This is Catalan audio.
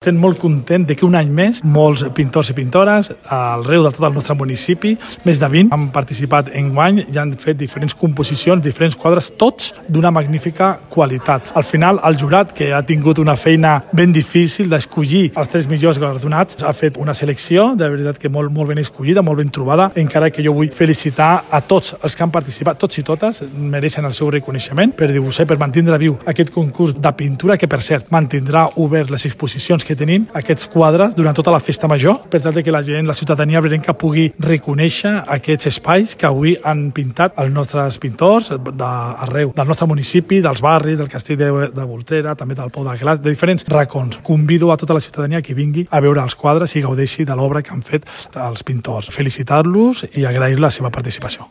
Estem molt content de que un any més molts pintors i pintores arreu de tot el nostre municipi, més de 20, han participat enguany i han fet diferents composicions, diferents quadres, tots d'una magnífica qualitat. Al final, el jurat, que ha tingut una feina ben difícil d'escollir els 3 millors galardonats, ha fet una selecció, de veritat que molt ben escollida, molt ben trobada, encara que jo vull felicitar a tots els que han participat, tots i totes, mereixen el seu reconeixement per dibuixar i per mantenir viu aquest concurs de pintura, que per cert mantindrà obert les exposicions que tenim aquests quadres durant tota la festa major, per tal que la gent, la ciutadania brenca pugui reconèixer aquests espais que avui han pintat els nostres pintors d'arreu, del nostre municipi, dels barris, del castell de Voltrera, també del Pou de Glaç, de diferents racons. Convido a tota la ciutadania que vingui a veure els quadres i gaudeixi de l'obra que han fet els pintors. Felicitar-los i agrair la seva participació.